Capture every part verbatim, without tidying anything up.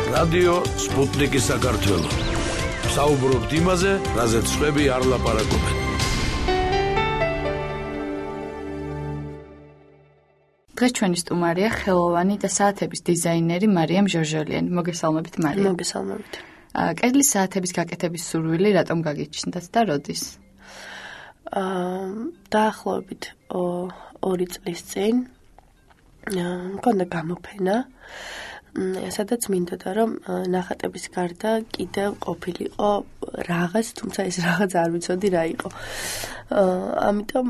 რადიო სპუტნიკი საქართველო. საუბრობთ იმაზე, რაზეც სხვები არ ლაპარაკობენ. დღეს ჩვენი სტუმარია ხელოვანი და საათების დიზაინერი მარიამ ჟორჟოლიანი. მოგესალმებით მარიამ. მოგესალმებით. კედლის საათების გაკეთების სურვილი რატომ გაგიჩნდათ და როდის? აა დაახლოებით ორი წლის წინ მქონდა გამოფენა, სადაც მინდოდა რომ ნახატების გარდა კიდევ ყოფილიყო რაღაც, თუმცა ეს რაღაც არ ვიცოდი რა იყო. ამიტომ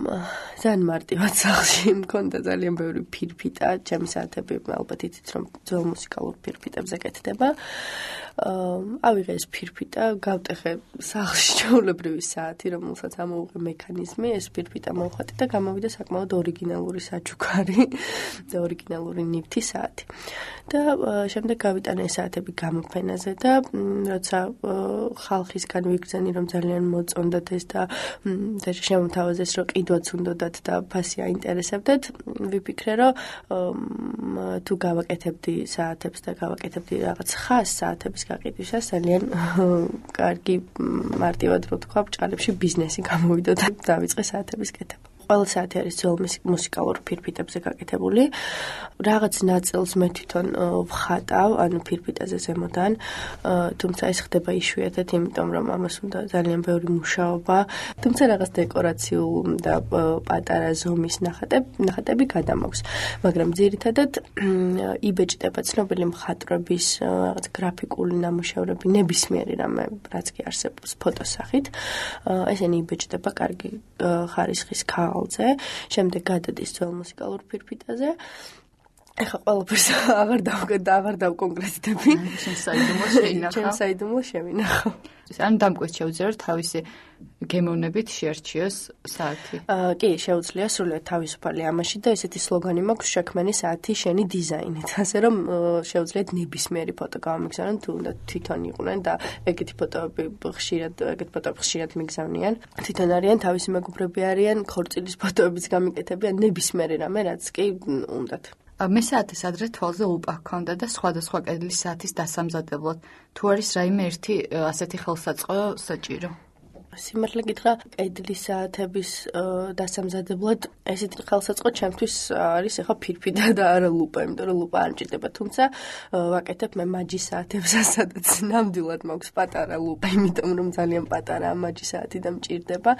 ძალიან მარტივად სახლში მქონდა ძალიან ბევრი ფირფიტა, ჩემი საათები ალბათ იცით რომ ძველ მუსიკალურ ფირფიტებზე კეთდება. ავიღე ეს ფირფიტა, გავტეხე სახლში ჩვეულებრივი საათი, რომელსაც ამოუღე მექანიზმი, ეს ფირფიტა მოვხატე და გამოვიდა საკმაოდ ორიგინალური საჩუქარი და ორიგინალური ნივთი საათი. და შემდეგ გავიტანე საათები გამოფენაზე და როცა ხალხისგან ვიგრძენი რომ ძალიან მოწონდათ ეს და შემოთავაზეს რომ ყიდვაც უნდათ და ფასი აინტერესებდათ, ვიფიქრე რომ თუ გავაკეთებდი საათებს და გავაკეთებდი რაღაც ხას საათების გაყიდვისას ძალიან კარგი მარტივად რო თქვა ბჭყალებში ბიზნესი გამოვიდა და დავიწყე საათების კეთება. ყველა საათი არის ძველ მუსიკალურ ფირფიტებზე გაკეთებული. რაღაც ნაწილს მე თვითონ ვხატავ, ანუ ფირფიტაზე ზემოდან, თუმცა ეს ხდება იშვიათად, იმიტომ რომ ამას უნდა ძალიან ბევრი მუშაობა, თუმცა რაღაც დეკორაციულ და პატარა ზომის ნახატები გადამაქვს. მაგრამ ძირითადად იბეჭდება ცნობილი მხატვრების რაღაც გრაფიკული ნამუშევრები, ნებისმიერი რამე, რაც კი არსებობს ფოტოსახით. ესენი იბეჭდება კარგი ხარისხის ქაღალდზე. შემდეგ გადადის ძველ მუსიკალურ ფირფიტაზე. ეხლა ყველაფერს აღარ დავკეთ და აღარ დავკონკრეტდები. შენ საიდუმლო შეინახავ. შენ საიდუმლო შევინახავ. ან დამკვეთ შეუძლია რომ თავისი გემოვნებით შეარჩიოს საათი. აა კი, შეუძლია სრულიად თავისუფალი ამაში და ესეთი სლოგანი მაქვს შექმენი საათი შენი დიზაინით. ასე რომ შეუძლიათ ნებისმიერი ფოტო გამიგზავნონ, თუ უნდა თვითონ იყვნენ და ეგეთი ფოტოები ხშირად, ეგეთ ფოტოები ხშირად მიგზავნიან. თვითონ არიან, თავისი მეგობრები არიან, ქორწილის ფოტოებიც გამიკეთებიან, ნებისმიერი რამე, რაც კი უნდათ. მე საათის ადრე თვალზე ლუპა ჰქონდა და სხვადასხვა კედლის საათის დასამზადებლად. თუ არის რაიმე ერთი ასეთი ხელსაწყო საჭირო? სიმართლე გითხრა, კედლის საათების დასამზადებლად ესეთი ხელსაწყო ჩემთვის არის ახლა ფირფიტა და არა ლუპა, იმიტომ რომ ლუპა არ მჭირდება, თუმცა ვაკეთებ მე მაჯის საათებსაც, სადაც ნამდვილად მაქვს პატარა ლუპა, იმიტომ რომ ძალიან პატარაა მაჯის საათი და მჭირდება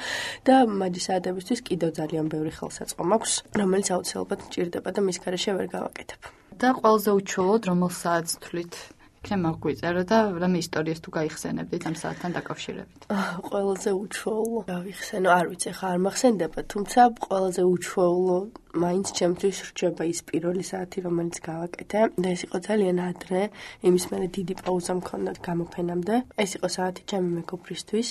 და მაჯის საათებისთვის კიდევ ძალიან ბევრი ხელსაწყო მაქვს, რომელიც აუცილებლად მჭირდება და მის გარეშე ვერ გავაკეთებ. და ყველაზე უჩვეულოდ რომელ საათს თვლით? იქნებ მაგვიწერო და რამე ისტორიას თუ გაიხსენებდით ამ საათთან დაკავშირებით. ყველაზე უჩვეულო გავიხსენო, არ ვიცი, ხა არ მახსენდება, თუმცა ყველაზე უჩვეულო მაინც ჩემთვის რჩება ის პირველი საათი, რომელიც გავაკეთე და ეს იყო ძალიან ადრე, იმის მერე დიდი პაუზა მქონდა გამოფენამდე. ეს იყო საათი ჩემი მეგობრისთვის,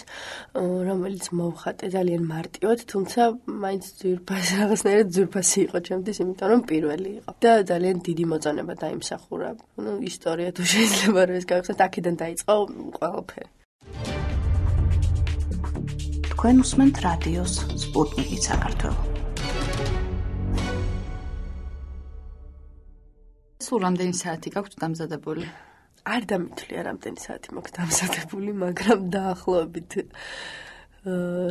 რომელიც მოვხატე ძალიან მარტივად, თუმცა მაინც ძვირფასი, რაღაცნაირად ძვირფასი იყო ჩემთვის, იმიტომ რომ პირველი იყო და ძალიან დიდი მოწონება დაიმსახურა. ნუ ისტორია თუ შეიძლება რომ ეს გავიხსენოთ, აქედან დაიწყო ყველაფერი. თქვენ უსმენთ რადიოს სპუტნიკი საქართველო. სულ რამდენი საათი გაქვთ დამზადებული? არ დამითვლია რამდენი საათი მაქვს დამზადებული, მაგრამ დაახლოებით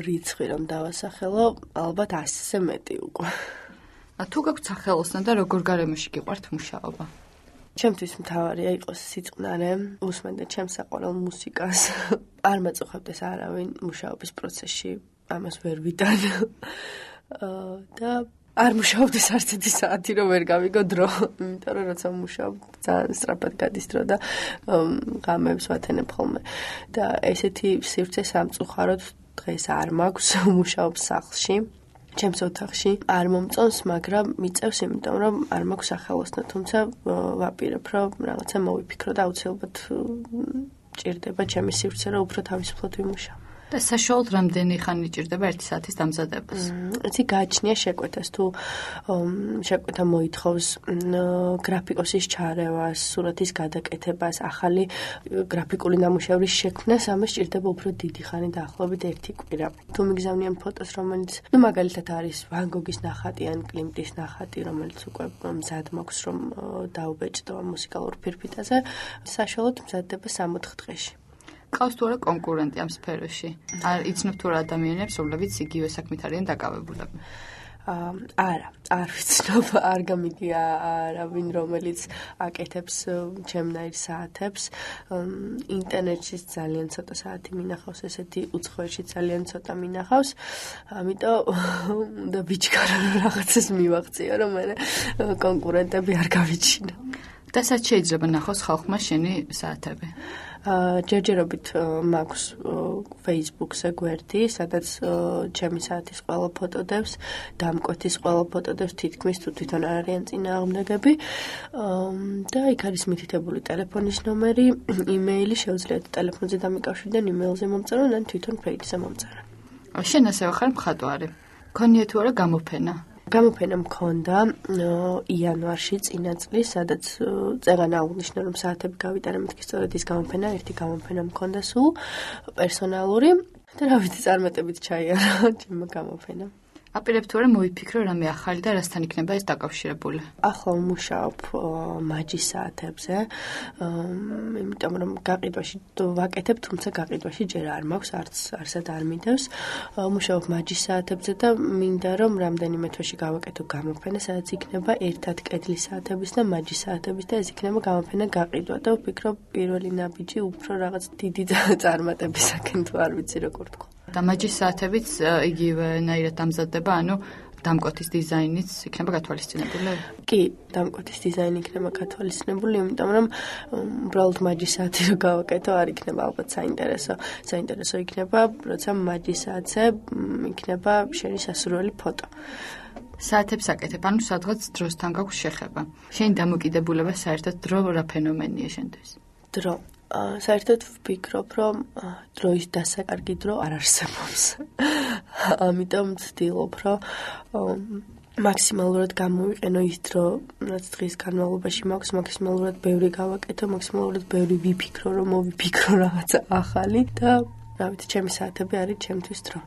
რიცხვი რომ დავასახელო, ალბათ ასზე მეტი უკვე. თუ გაქვთ სახელოსნო და როგორ გარემოში გიყვართ მუშაობა? ჩემთვის მთავარია იყოს სიწყნარე, უსმენდა ჩემს საყვარელ მუსიკას. არ მაწუხებდეს არავინ მუშაობის პროცესში, ამას ვერ ვიტან. და არ მუშაობდეს არც ერთი საათი რომ ვერ გავიგო დრო, იმიტომ რომ როცა მუშაობ ძალიან სწრაფად გადის დრო და ღამეებს ვათენებ ხოლმე. და ესეთი სივრცე სამწუხაროდ დღეს არ მაქვს, მუშაობ სახლში. ჩემს ოთახში არ მომწონს, მაგრამ მიწევს, იმიტომ რომ არ მაქვს სახელოსნო, თუმცა ვაპირებ, რომ რაღაცა მოვიფიქრო და აუცილებლად ჭირდება ჩემი სივრცე, რომ უფრო თავისუფლად ვიმუშაო. და საშუალოდ რამდენი ხანი ჭირდება ერთი საათის დამზადებას? იცი გააჩნია შეკვეთას თუ შეკვეთა მოითხოვს გრაფიკოსის ჩარევას, სურათის გადაკეთებას, ახალი გრაფიკული ნამუშევრის შექმნას, ამას ჭირდება უფრო დიდი ხანი, დაახლოებით ერთი კვირა. თუ მიგზავნიან ფოტოს, რომელიც, ну, მაგალითად არის ვან გოგის ნახატი ან კლიმტის ნახატი, რომელიც უკვე მზად მაქვს, რომ დაუბეჭდო მუსიკალურ ფირფიტაზე, საშუალოდ მზადდება სამოთხ დღეში. ყავს თუ არა კონკურენტი ამ სფეროში? არ იცნობ თუ რა ადამიანებს, რომლებიც იგივე საქმით არიან დაკავებულები? არა, არ ვიცნობ, არ გამიგია არავინ, რომელიც აკეთებს ჩემნაირ საათებს. ინტერნეტში ძალიან ცოტა საათი მინახავს, ესეთი უცხოეთში ძალიან ცოტა მინახავს. ამიტომ უნდა ვიჩქარო რაღაცას მივაღწიო, რომ მე კონკურენტები არ გავიჩინო. და სად შეიძლება ნახოს ხალხმა შენი საათები? ჯერჯერობით მაქვს Facebook-ზე გვერდი, სადაც ჩემი საათის ყველა ფოტო დევს, დამკვეთის ყველა ფოტო დევს, თითქმის თუ თვითონ არ არიან წინააღმდეგები. და იქ არის მითითებული ტელეფონის ნომერი, იმეილი, შეუძლიათ ტელეფონზე დამიკავშირდნენ, იმეილზე მომწერონ, ან თვითონ ფეიჯზე მომწერონ. შენ ასევე ხარ მხატვარი. გქონია თუ არა გამოფენა? გამოფენა მქონდა იანვარში წინა წლის, სადაც წეგანა აღნიშნა, რომ საათები გავიტანე, მეთქი სწორედ ის გამოფენა, ერთი გამოფენა მქონდა სულ პერსონალური და რა ვიცი, წარმატებით ჩაიარა ჩემმა გამოფენამ. აპირებ თუ არა მოვიფიქრო რამე ახალი და რასთან იქნება ეს დაკავშირებული? ახლა ვმუშაობ მაჯის საათებზე, იმიტომ რომ გაყიდვაში ვაკეთებ, თუმცა გაყიდვაში ჯერ არ მაქვს, არც არსად არ მინდევს. ვმუშაობ მაჯის საათებზე და მინდა რომ რამდენიმე თვეში გავაკეთო გამოფენა, სადაც იქნება ერთად კედლის საათების და მაჯის საათების და ეს იქნება გამოფენა გაყიდვა და ვფიქრობ პირველი ნაბიჯი უფრო რაღაც დიდი წარმატებისაკენ თუ არ ვიცი როგორ თქვა. და მაჯის საათებიც იგივენაირად დამზადდება, ანუ დამკვეთის დიზაინიც იქნება გათვალისწინებული? კი, დამკვეთის დიზაინი იქნება გათვალისწინებული, იმიტომ რომ უბრალოდ მაჯის საათი რო გავაკეთო, არ იქნება ალბათ საინტერესო. საინტერესო იქნება, როცა მაჯის საათზე იქნება შენი სასურველი ფოტო. საათებს აკეთებ, ანუ სადღაც დროსთან გაქვს შეხება. შენი დამოკიდებულება საერთოდ დრო რა ფენომენია შენთვის? დრო საერთოდ ვფიქრობ, რომ დროის დასაკარგი დრო არ არსებობს. ამიტომ ვცდილობ, რომ მაქსიმალურად გამოვიყენო ის დრო, რაც დღის განმავლობაში მაქვს, მაქსიმალურად ბევრი გავაკეთო, მაქსიმალურად ბევრი ვიფიქრო, რომ მოვიფიქრო რაღაცა ახალი და რა ვიცი, ჩემი საათები არის ჩემთვის დრო.